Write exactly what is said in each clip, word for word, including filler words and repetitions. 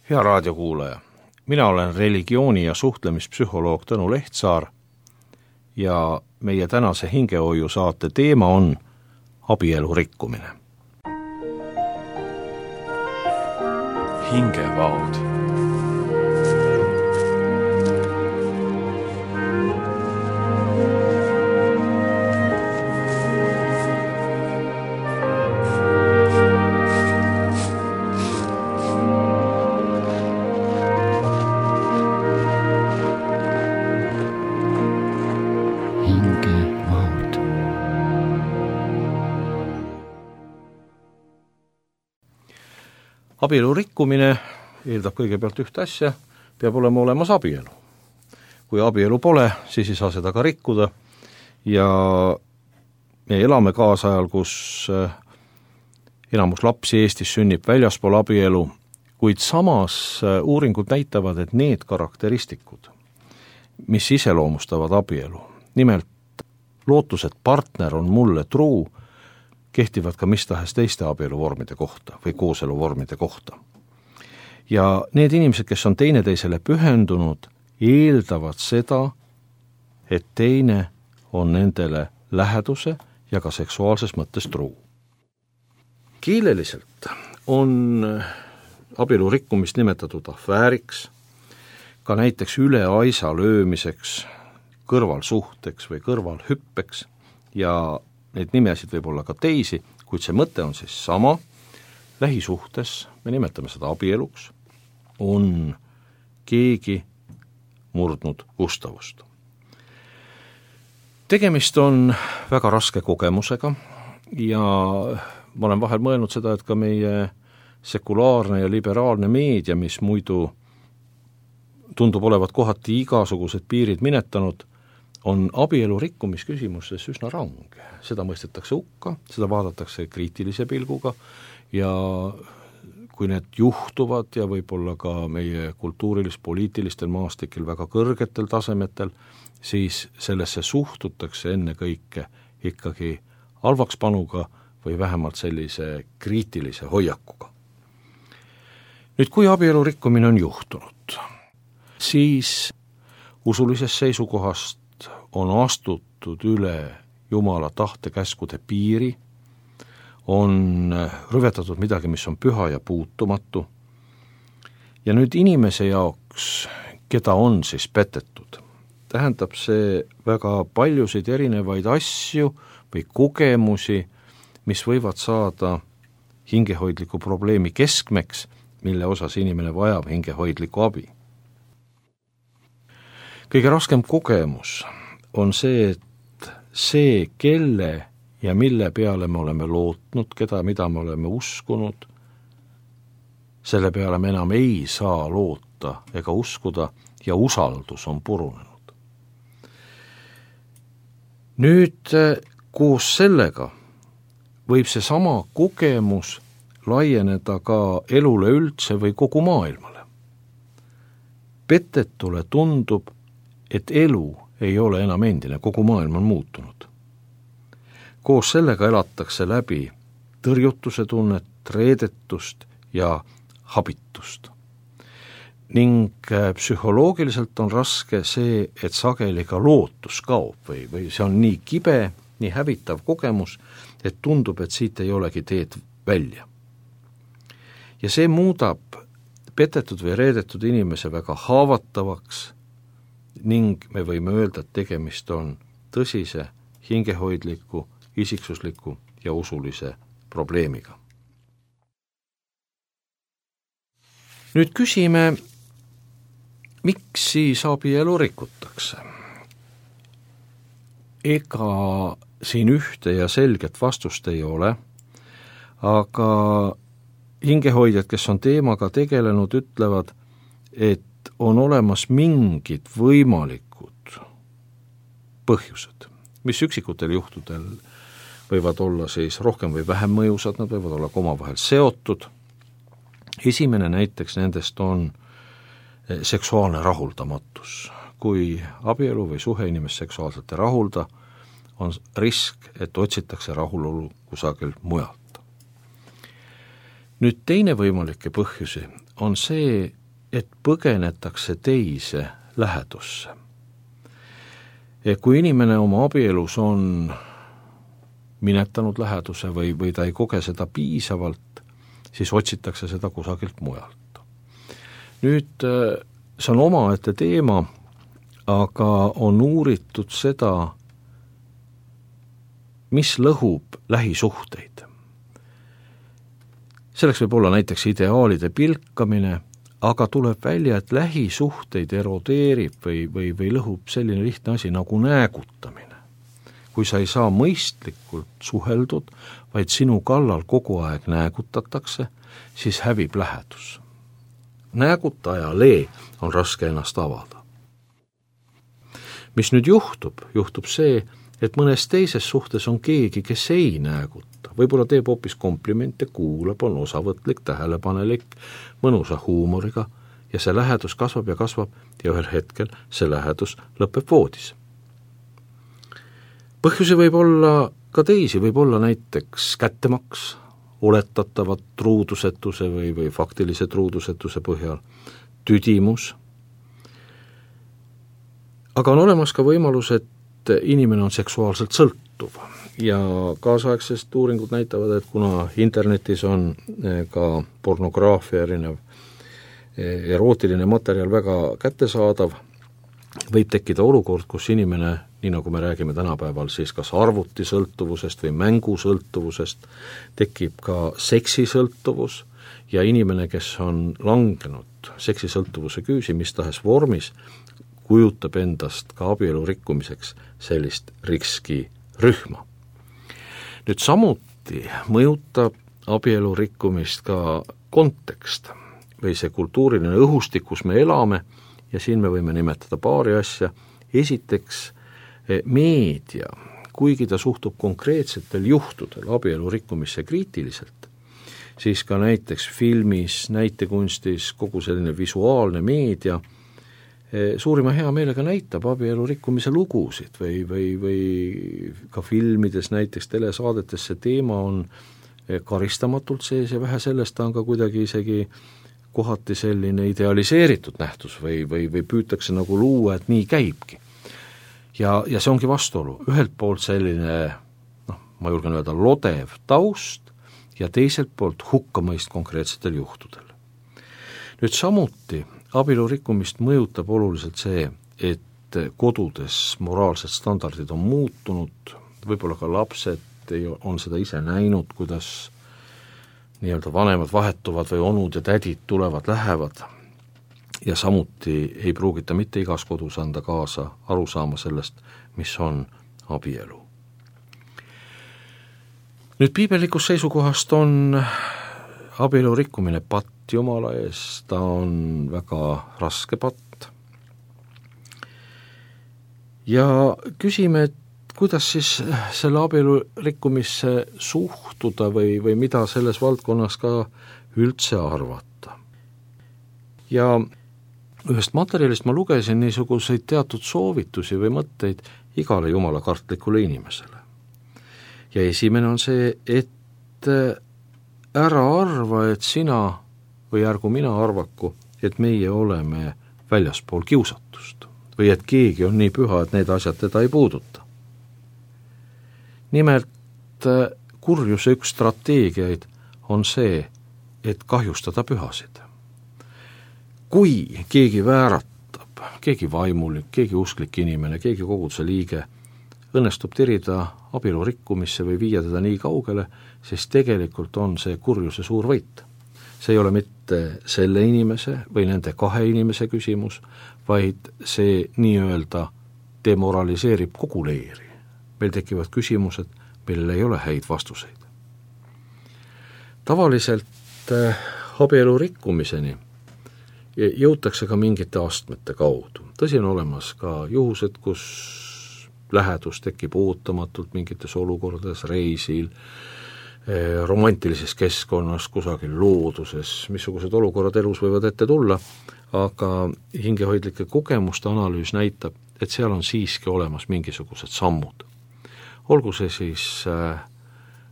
Hea raadiokuulaja, mina olen religiooni- ja suhtlemispsühholoog Tõnu Lehtsaar ja meie tänase hingehoiu saate teema on abielu rikkumine. Hingevaod. Abielu rikkumine eeldab kõigepealt ühte asja, peab olema olemas abielu. Kui abielu pole, siis ei saa seda ka rikkuda ja me elame kaasajal, kus enamus lapsi Eestis sünnib väljaspool abielu, kuid samas uuringud näitavad, et need karakteristikud, mis iseloomustavad abielu, nimelt lootus, et partner on mulle truu, kehtivad ka mis tahes teiste abieluvormide kohta või kooseluvormide kohta. Ja need inimesed, kes on teineteisele pühendunud, eeldavad seda, et teine on nendele läheduse ja ka seksuaalses mõttes truu. Keeleliselt on abielu rikkumist nimetatud afääriks, ka näiteks üle aisa löömiseks, kõrvalsuhteks või kõrvalhüppeks ja neid nimesid võib olla ka teisi, kuid see mõte on siis sama. Lähisuhtes, me nimetame seda abieluks, on keegi murdnud ustavust. Tegemist on väga raske kogemusega ja ma olen vahel mõelnud seda, et ka meie sekulaarne ja liberaalne meedia, mis muidu tundub olevat kohati igasugused piirid minetanud, on abielu rikkumisküsimustes üsna range. Seda mõistetakse hukka, seda vaadatakse kriitilise pilguga ja kui need juhtuvad ja võib-olla ka meie kultuurilis-poliitilistel maastikel väga kõrgetel tasemetel, siis sellesse suhtutakse enne kõike ikkagi halvakspanuga või vähemalt sellise kriitilise hoiakuga. Nüüd, kui abielu rikkumine on juhtunud, siis usulisest seisukohast on astutud üle Jumala tahte-käskude piiri, on rüvetatud midagi, mis on püha ja puutumatu. Ja nüüd inimese jaoks, keda on siis petetud, tähendab see väga paljusid erinevaid asju või kogemusi, mis võivad saada hingehoidliku probleemi keskmeks, mille osas inimene vajab hingehoidliku abi. Kõige raskem kogemus on see, et see, kelle ja mille peale me oleme lootnud, keda, mida me oleme uskunud, selle peale me enam ei saa loota ega uskuda ja usaldus on purunenud. Nüüd koos sellega võib see sama kogemus laieneda ka elule üldse või kogu maailmale. Petetule tundub, et elu ei ole enam endine, kogu maailm on muutunud. Koos sellega elatakse läbi tõrjutuse tunnet, reedetust ja habitust. Ning psühholoogiliselt on raske see, et sageli ka lootus kaob või, või see on nii kibe, nii hävitav kogemus, et tundub, et siit ei olegi teed välja. Ja see muudab petetud või reedetud inimese väga haavatavaks ning me võime öelda, et tegemist on tõsise, hingehoidliku, isiksusliku ja usulise probleemiga. Nüüd küsime, miks siis abielu rikutakse? Ega siin ühte ja selget vastust ei ole, aga hingehoidjad, kes on teemaga tegelenud, ütlevad, et on olemas mingid võimalikud põhjused, mis üksikutel juhtudel võivad olla siis rohkem või vähem mõjusad, nad võivad olla ka omavahel seotud. Esimene näiteks nendest on seksuaalne rahuldamatus. Kui abielu või suhe inimest seksuaalselt ei rahulda, on risk, et otsitakse rahulolu kusagil mujalt. Nüüd teine võimalikke põhjusi on see, et põgenetakse teise lähedusse. Kui inimene oma abielus on minetanud läheduse või, või ta ei koge seda piisavalt, siis otsitakse seda kusagilt mujalt. Nüüd see on omaette teema, aga on uuritud seda, mis lõhub lähisuhteid. Selleks võib olla näiteks ideaalide pilkamine, aga tuleb välja, et lähisuhteid erodeerib või, või, või lõhub selline lihtne asi nagu näägutamine. Kui sa ei saa mõistlikult suheldud, vaid sinu kallal kogu aeg näägutatakse, siis hävib lähedus. Näägutajale on raske ennast avada. Mis nüüd juhtub? Juhtub see, et mõnes teises suhtes on keegi, kes ei nääguta. Võib-olla teeb hoopis komplimente, kuulab, on osavõtlik, tähelepanelik, mõnusa huumoriga ja see lähedus kasvab ja kasvab ja ühel hetkel see lähedus lõpeb voodis. Põhjusi võib olla ka teisi, võib olla näiteks kättemaks, oletatavat truudusetuse või, või faktilise truudusetuse põhjal, tüdimus. Aga on olemas ka võimalus, et inimene on seksuaalselt sõltuv ja kaasaegsest uuringud näitavad, et kuna internetis on ka pornograafia erinev erootiline materjal väga kättesaadav, võib tekkida olukord, kus inimene, nii nagu me räägime tänapäeval, siis kas arvutisõltuvusest või mängusõltuvusest, tekib ka seksisõltuvus ja inimene, kes on langenud seksisõltuvuse küüsi mis tahes vormis, kujutab endast ka abielu rikkumiseks sellist riskirühma. Nüüd samuti mõjutab abielu rikkumist ka kontekst või see kultuuriline õhustik, kus me elame, ja siin me võime nimetada paari asja. Esiteks, meedia, kuigi ta suhtub konkreetsetel juhtudel abielu rikkumisse kriitiliselt, siis ka näiteks filmis, näitekunstis, kogu selline visuaalne meedia suurima hea meelega näitab abielu rikkumise lugusid või, või, või ka filmides, näiteks telesaadetes see teema on karistamatult sees ja vähe sellest ta on ka kuidagi isegi kohati selline idealiseeritud nähtus või, või, või püütakse nagu luua, et nii käibki. Ja, ja see ongi vastuolu. Ühelt poolt selline, noh, ma julgen öelda, lodev taust ja teiselt poolt hukkamõist konkreetsetel juhtudel. Nüüd samuti abielu rikkumist mõjutab oluliselt see, et kodudes moraalsed standardid on muutunud, võib-olla ka lapsed on seda ise näinud, kuidas nii-öelda vanemad vahetuvad või onud ja tädid tulevad, lähevad ja samuti ei pruugita mitte igas kodus anda kaasa aru saama sellest, mis on abielu. Nüüd piibellikust seisukohast on abielu rikkumine patt Jumala ees, ta on väga raske patt. Ja küsime, et kuidas siis selle abielu rikkumisse suhtuda või, või mida selles valdkonnas ka üldse arvata. Ja ühest materjalist ma lugesin niisuguseid teatud soovitusi või mõtteid igale jumala kartlikule inimesele. Ja esimene on see, et ära arva, et sina või ärgu mina arvaku, et meie oleme väljaspool kiusatust või et keegi on nii püha, et need asjad teda ei puuduta. Nimelt kurjuse üks strateegiaid on see, et kahjustada pühasid. Kui keegi vääratab, keegi vaimulik, keegi usklik inimene, keegi koguduse liige õnnestub tirida abielu rikkumisse või viia teda nii kaugele, siis tegelikult on see kurjuse suur võit. See ei ole mitte selle inimese või nende kahe inimese küsimus, vaid see nii-öelda demoraliseerib kogu leeri. Meil tekivad küsimused, millel ei ole häid vastuseid. Tavaliselt abielu rikkumiseni jõutakse ka mingite astmete kaudu. Tõsi on olemas ka juhused, kus lähedus tekib ootamatult mingites olukordades, reisil, romantilises keskkonnas, kusagil looduses, missugused olukorrad elus võivad ette tulla, aga hingehoidlike kogemuste analüüs näitab, et seal on siiski olemas mingisugused sammud. Olgu see siis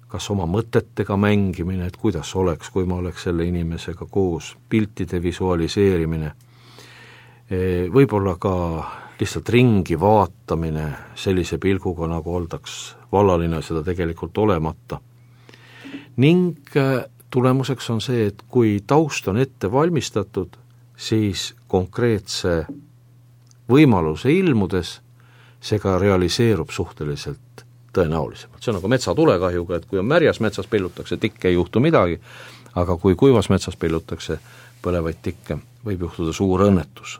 kas oma mõtetega mängimine, et kuidas oleks, kui ma oleks selle inimesega koos, piltide visualiseerimine, võib-olla ka lihtsalt ringi vaatamine sellise pilguga, nagu oldaks vallaline seda tegelikult olemata. Ning tulemuseks on see, et kui taust on ette valmistatud, siis konkreetse võimaluse ilmudes see ka realiseerub suhteliselt tõenäolisemalt. See on nagu metsatulekahjuga, et kui on märjas metsas pillutakse tikke, ei juhtu midagi, aga kui kuivas metsas pillutakse põlevaid tikke, võib juhtuda suur õnnetus.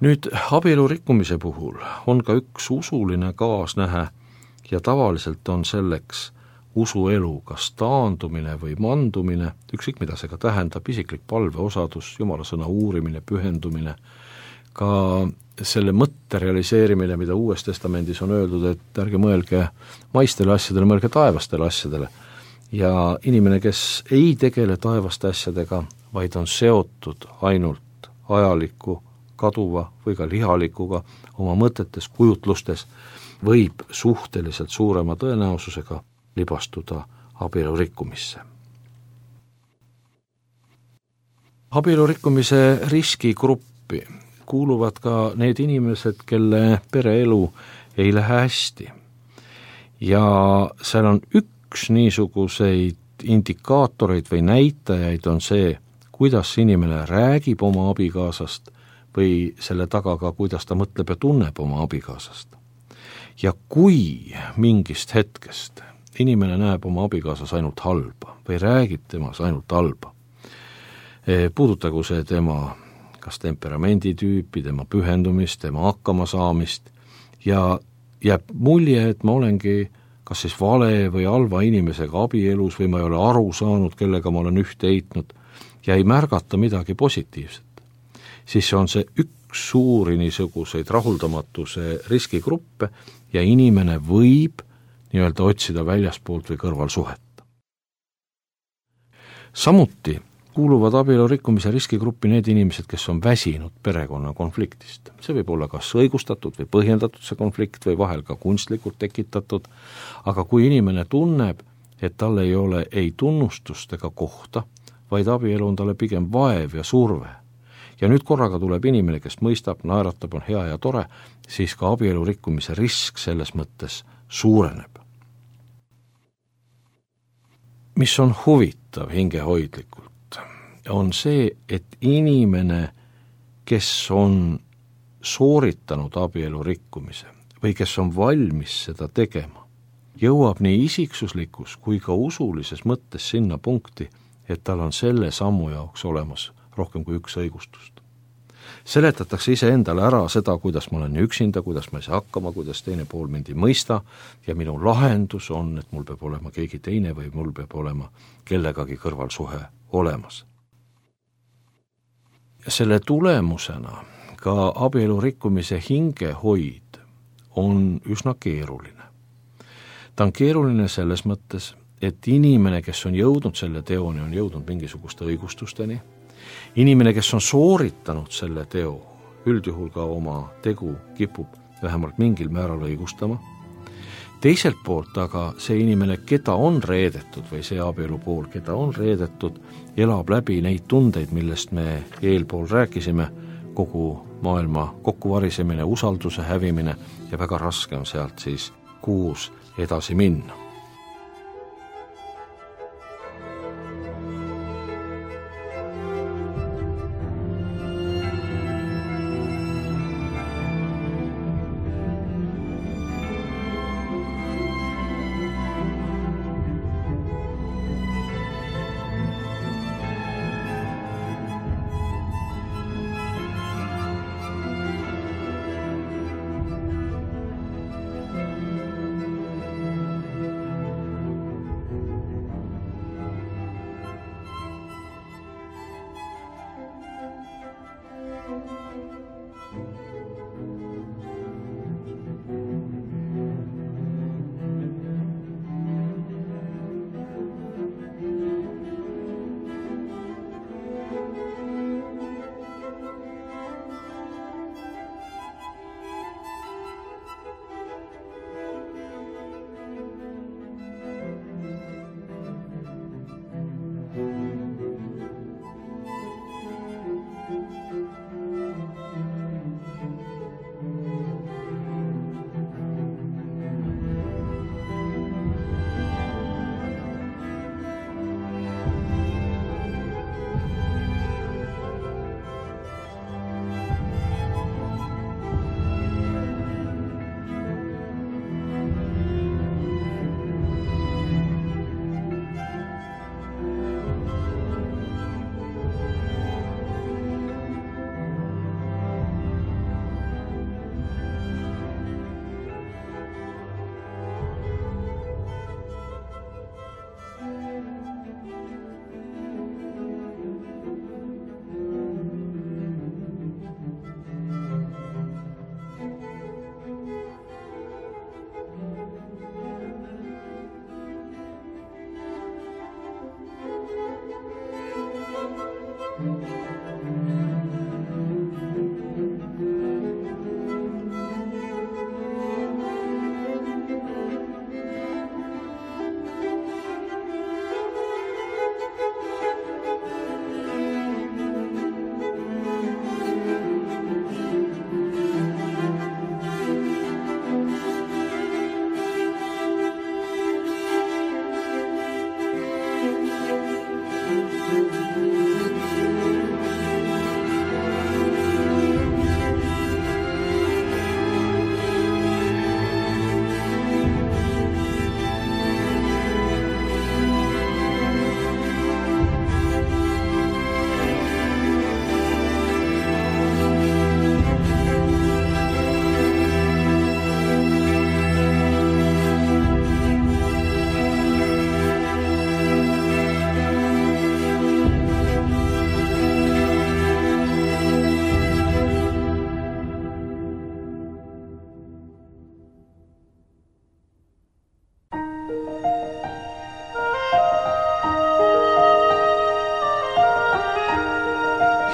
Nüüd abielu rikkumise puhul on ka üks usuline kaasnähe ja tavaliselt on selleks usuelu kas taandumine või mandumine, ükskõik mida see ka tähendab, isiklik palveosadus, Jumala sõna uurimine, pühendumine, ka selle mõtte realiseerimine, mida Uues Testamendis on öeldud, et ärge mõelge maistele asjadele, mõelge taevastele asjadele. Ja inimene, kes ei tegele taevaste asjadega, vaid on seotud ainult ajaliku, kaduva või ka lihalikuga oma mõtetes, kujutlustes, võib suhteliselt suurema tõenäosusega libastuda abielu rikkumisse. Abielu rikkumise riskigruppi kuuluvad ka need inimesed, kelle pereelu ei lähe hästi. Ja seal on üks niisuguseid indikaatoreid või näitajaid on see, kuidas inimene räägib oma abikaasast või selle taga ka, kuidas ta mõtleb ja tunneb oma abikaasast. Ja kui mingist hetkest inimene näeb oma abikaasas ainult halba või räägib temas ainult halba, puudutagu see tema kas temperamenditüüpi, tema pühendumist, tema hakkamasaamist ja jääb mulje, et ma olengi kas siis vale või halva inimesega abielus või ma ei ole aru saanud, kellega ma olen ühte heitnud ja ei märgata midagi positiivset, siis on see üks suuri niisuguseid rahuldamatuse riskigruppe ja inimene võib nii-öelda otsida väljaspoolt või kõrvalsuhet. Samuti kuuluvad abielu rikkumise riskigruppi need inimesed, kes on väsinud perekonna konfliktist. See võib olla kas õigustatud või põhjendatud see konflikt või vahel ka kunstlikult tekitatud, aga kui inimene tunneb, et tal ei ole ei tunnustust ega kohta, vaid abielu on talle pigem vaev ja surve, ja nüüd korraga tuleb inimene, kes mõistab, naeratab, on hea ja tore, siis ka abielu rikkumise risk selles mõttes suureneb. Mis on huvitav hingehoidlikult, on see, et inimene, kes on sooritanud abielu rikkumise või kes on valmis seda tegema, jõuab nii isiksuslikus kui ka usulises mõttes sinna punkti, et tal on selle sammu jaoks olemas rohkem kui üks õigustust. Seletatakse iseendale ära seda, kuidas ma olen üksinda, kuidas ma ei saa hakkama, kuidas teine pool mind ei mõista ja minu lahendus on, et mul peab olema keegi teine või mul peab olema kellegagi kõrvalsuhe olemas. Selle tulemusena ka abielu rikkumise hingehoid on üsna keeruline. Ta on keeruline selles mõttes, et inimene, kes on jõudnud selle teoni, on jõudnud mingisuguste õigustusteni. Inimene, kes on sooritanud selle teo, üldjuhul ka oma tegu kipub vähemalt mingil määral õigustama. Teiselt poolt aga see inimene, keda on reedetud või see abielu pool, keda on reedetud, elab läbi neid tundeid, millest me eelpool rääkisime, kogu maailma kokkuvarisemine, usalduse hävimine ja väga raske on sealt siis kuus edasi minna.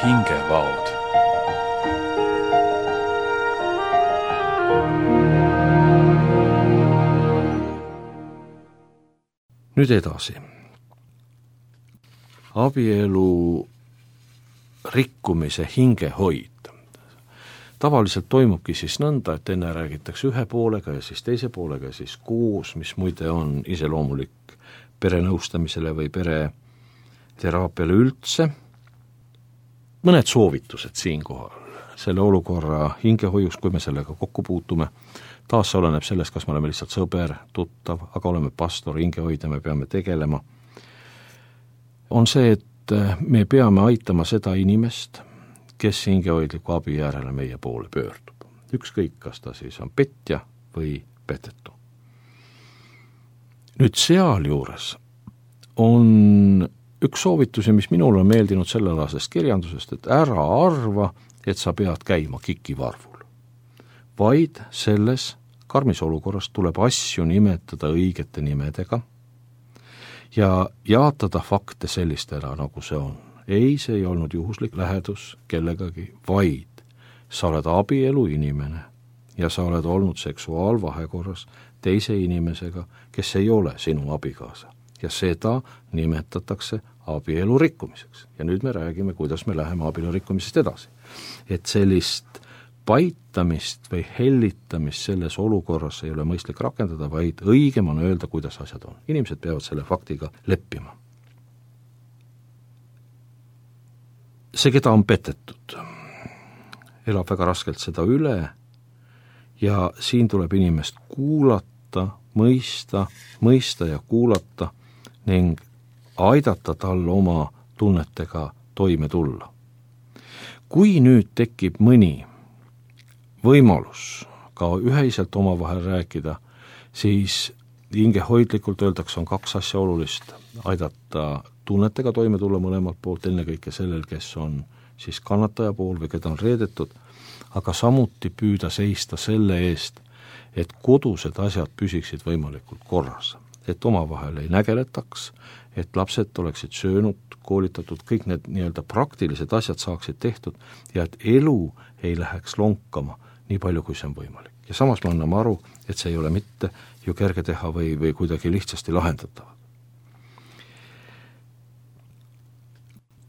hingevaod. Nüüd edasi. Abielu rikkumise hingehoid. Tavaliselt toimubki siis nõnda, et enne räägitakse ühe poolega ja siis teise poolega ja siis koos, mis muide on iseloomulik perenõustamisele või pereteraapiale üldse. Mõned soovitused siinkohal selle olukorra hingehoius, kui me sellega kokku puutume. Taas see oleneb sellest, kas me oleme lihtsalt sõber, tuttav, aga oleme pastor, hingehoidja, me peame tegelema. On see, et me peame aitama seda inimest, kes hingehoidliku abi järele meie poole pöördub. Ükskõik, kas ta siis on petja või petetu. Nüüd seal juures on üks soovitusi, mis minul on meeldinud sellealasest kirjandusest, et ära arva, et sa pead käima kikivarvul. Vaid selles karmis olukorras tuleb asju nimetada õigete nimedega ja jaatada fakte sellistena, nagu see on. Ei, see ei olnud juhuslik lähedus kellegagi, vaid sa oled abielu inimene ja sa oled olnud seksuaalvahekorras teise inimesega, kes ei ole sinu abikaasa. Ja seda nimetatakse abielu rikkumiseks. Ja nüüd me räägime, kuidas me läheme abielu rikkumisest edasi. Et sellist paitamist või hellitamist selles olukorras ei ole mõistlik rakendada, vaid õigem on öelda, kuidas asjad on. Inimesed peavad selle faktiga leppima. See, keda on petetud, elab väga raskelt seda üle ja siin tuleb inimest kuulata, mõista, mõista ja kuulata ning aidata tal oma tunnetega toime tulla. Kui nüüd tekib mõni võimalus ka ühiselt omavahel rääkida, siis hingehoidlikult öeldakse, on kaks asja olulist. Aidata tunnetega toime tulla mõlemalt poolt, ennekõike sellel, kes on siis kannataja pool või keda on reedetud, aga samuti püüda seista selle eest, et kodused asjad püsiksid võimalikult korras, et omavahel ei nägeletaks, et lapsed oleksid söönud, koolitatud, kõik need nii-öelda praktilised asjad saaksid tehtud ja et elu ei läheks lonkama nii palju, kui see on võimalik. Ja samas me anname aru, et see ei ole mitte ju kerge teha või, või kuidagi lihtsasti lahendatav.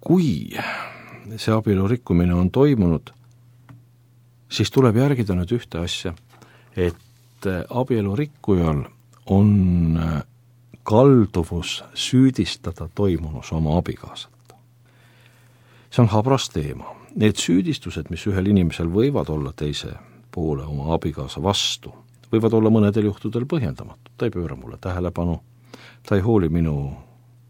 Kui see abielu rikkumine on toimunud, siis tuleb järgida nüüd ühte asja, et abielu rikkujal on kalduvus süüdistada toimunus oma abikaasat. See on habras teema. Need süüdistused, mis ühel inimesel võivad olla teise poole oma abikaasa vastu, võivad olla mõnedel juhtudel põhjendamatud. Ta ei pööra mulle tähelepanu, ta ei hooli minu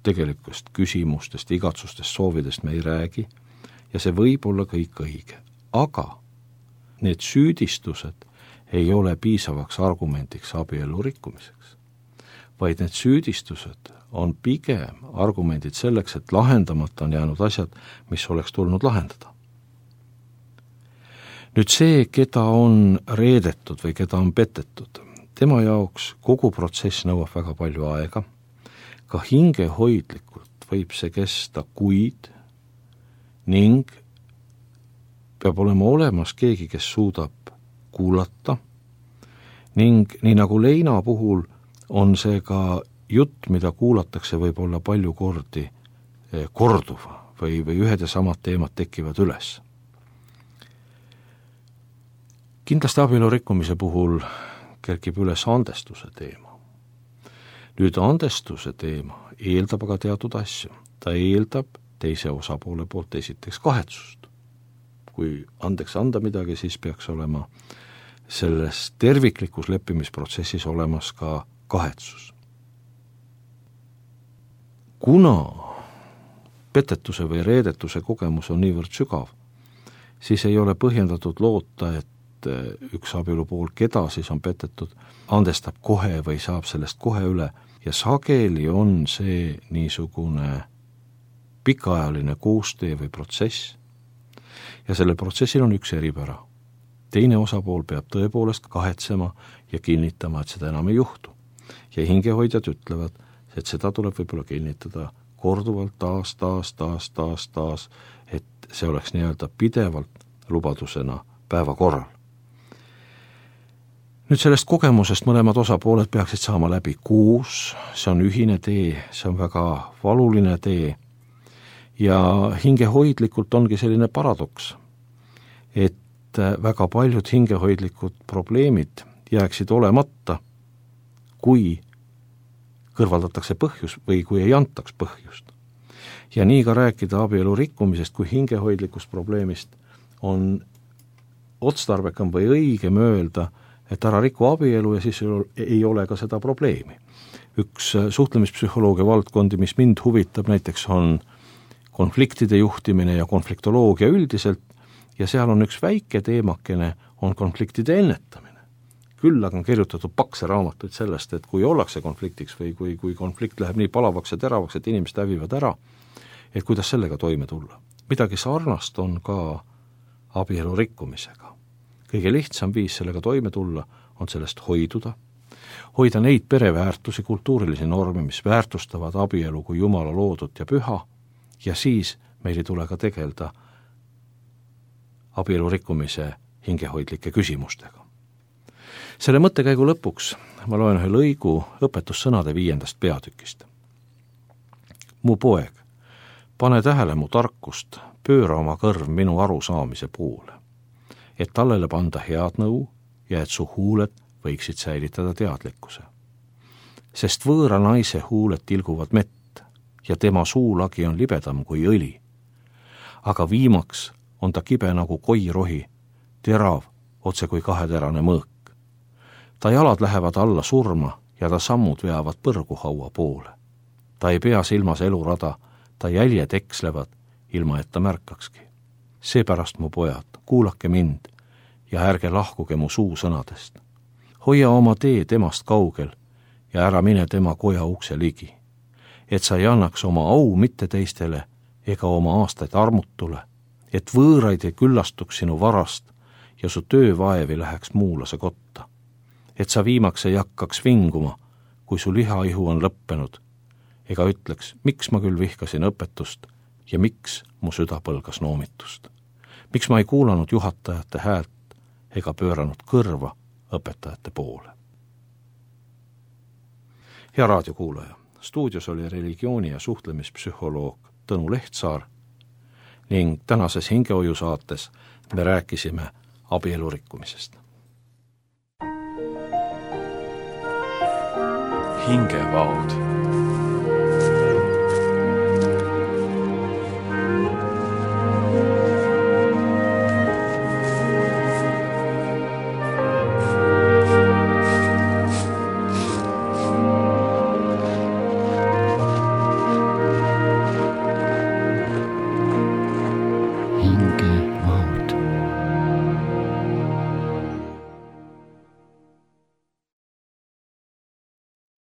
tegelikust küsimustest, igatsustest, soovidest me ei räägi ja see võib olla kõik õige. Aga need süüdistused ei ole piisavaks argumendiks abielu rikkumiseks, vaid need süüdistused on pigem argumendid selleks, et lahendamata on jäänud asjad, mis oleks tulnud lahendada. Nüüd see, keda on reedetud või keda on petetud, tema jaoks kogu protsess nõuab väga palju aega. Ka hingehoidlikult võib see kesta kuid ning peab olema olemas keegi, kes suudab kuulata ning nii nagu leina puhul on see ka jutt, mida kuulatakse võib olla palju kordi korduva või, või ühed ja samad teemad tekivad üles. Kindlasti abielu rikkumise puhul kerkib üles andestuse teema. Nüüd andestuse teema eeldab aga teatud asju. Ta eeldab teise osapoole poolt esiteks kahetsust. Kui andeks anda midagi, siis peaks olema selles terviklikus leppimisprotsessis olemas ka kahetsus. Kuna petetuse või reedetuse kogemus on niivõrd sügav, siis ei ole põhjendatud loota, et üks abielu pool, keda siis on petetud, andestab kohe või saab sellest kohe üle ja sageli on see niisugune pikaajaline koostöö või protsess ja sellel protsessil on üks eripära. Teine osapool peab tõepoolest kahetsema ja kinnitama, et seda enam ei juhtu. Ja hingehoidjad ütlevad, et seda tuleb võib-olla kinnitada korduvalt taas, taas, taas, taas, taas, et see oleks nii-öelda pidevalt lubadusena päevakorral. Nüüd sellest kogemusest mõlemad osapooled peaksid saama läbi kuus, see on ühine tee, see on väga valuline tee ja hingehoidlikult ongi selline paradoks, et väga paljud hingehoidlikud probleemid jääksid olemata, kui kõrvaldatakse põhjus või kui ei antaks põhjust. Ja nii ka rääkida abielu rikkumisest kui hingehoidlikust probleemist on otstarbekam või õigem öelda, et ära riku abielu ja siis ei ole ka seda probleemi. Üks suhtlemispsühholoogia valdkondi, mis mind huvitab, näiteks on konfliktide juhtimine ja konfliktoloogia üldiselt, ja seal on üks väike teemakene, on konfliktide ennetamine. Küll aga on kirjutatud pakse raamatuid sellest, et kui ollakse konfliktiks või kui, kui konflikt läheb nii palavaks ja teravaks, et inimesed hävivad ära, et kuidas sellega toime tulla. Midagi sarnast on ka abielu rikkumisega. Kõige lihtsam viis sellega toime tulla on sellest hoiduda, hoida neid pereväärtusi, kultuurilisi norme, mis väärtustavad abielu kui Jumala loodut ja püha, ja siis meil ei tule ka tegelda abielu rikkumise hingehoidlike küsimustega. Selle mõttekäigu lõpuks ma loen ühe lõigu õpetussõnade viiendast peatükist. Mu poeg, pane tähele mu tarkust, pööra oma kõrv minu arusaamise poole, et tallele panda head nõu ja et su huuled võiksid säilitada teadlikkuse. Sest võõra naise huuled tilguvad mett ja tema suulagi on libedam kui õli. Aga viimaks on ta kibe nagu koirohi, terav otse kui kaheterane mõõk. Ta jalad lähevad alla surma ja ta sammud veavad põrguhaua poole. Ta ei pea silmas elurada, ta jäljed ekslevad, ilma et ta märkakski. Seepärast, mu pojad, kuulake mind ja ärge lahkuge mu suusõnadest. Hoia oma tee temast kaugel ja ära mine tema koja ukse ligi, et sa ei annaks oma au mitte teistele ega oma aastaid armutule, et võõraid ei küllastuks sinu varast ja su töövaevi läheks muulase kotta, et sa viimaks ei hakkaks vinguma, kui su lihaihu on lõppenud, ega ütleks, miks ma küll vihkasin õpetust ja miks mu süda põlgas noomitust. Miks ma ei kuulanud juhatajate häält ega pööranud kõrva õpetajate poole. Hea raadiokuulaja, stuudios oli religiooni- ja suhtlemispsühholoog Tõnu Lehtsaar ning tänases hingehoiu saates me rääkisime abielu rikkumisest. Hingevaod.